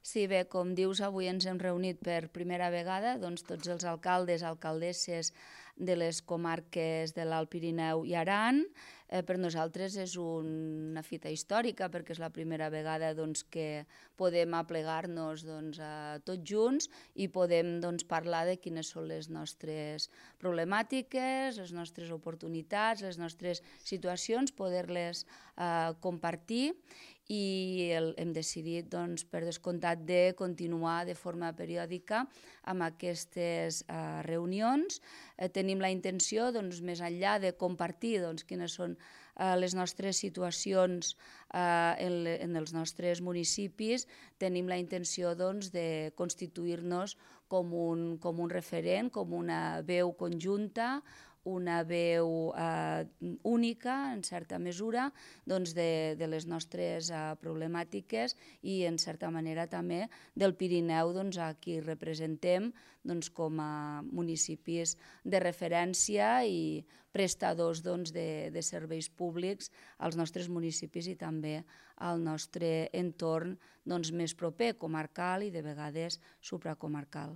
Sí, bé, com dius, avui ens hem reunit per primera vegada, doncs tots els alcaldes, alcaldesses de les comarques de l'Alt Pirineu i Aran. Per nosaltres és una fita històrica perquè és la primera vegada doncs, que podem aplegar-nos tots junts i podem parlar de quines són les nostres problemàtiques, les nostres oportunitats, les nostres situacions, poder-les compartir i hem decidit, per descomptat, de continuar de forma periòdica amb aquestes reunions. Tenim la intenció, més enllà de compartir quines són les nostres situacions en els nostres municipis, tenim la intenció de constituir-nos com un referent, com una veu conjunta, una veu única, en certa mesura, de les nostres problemàtiques i, en certa manera, també del Pirineu, a qui representem com a municipis de referència i prestadors de serveis públics als nostres municipis i també al nostre entorn més proper, comarcal i de vegades supracomarcal.